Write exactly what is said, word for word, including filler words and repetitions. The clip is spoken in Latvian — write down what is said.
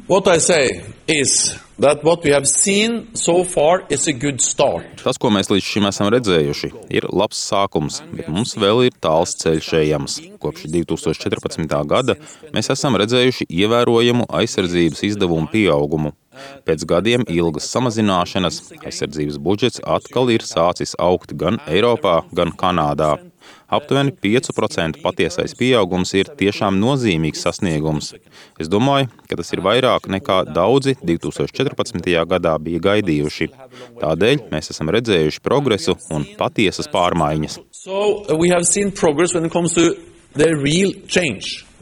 What I say is that what we have seen so far is a good start. Tas, ko mēs līdz šim esam redzējuši, ir labs sākums, bet mums vēl ir tāls ceļš ejams. Kopš divi tūkstoši četrpadsmitā gada mēs esam redzējuši ievērojamu aizsardzības izdevumu pieaugumu. Pēc gadiem ilgas samazināšanas aizsardzības budžets atkal ir sācis augt gan Eiropā, gan Kanādā. Aptuveni pieci procenti patiesais pieaugums ir tiešām nozīmīgs sasniegums. Es domāju, ka tas ir vairāk nekā daudzi divi tūkstoši četrpadsmitajā gadā bija gaidījuši. Tādēļ mēs esam redzējuši progresu un patiesas pārmaiņas. So we have seen progress when it comes to the real change.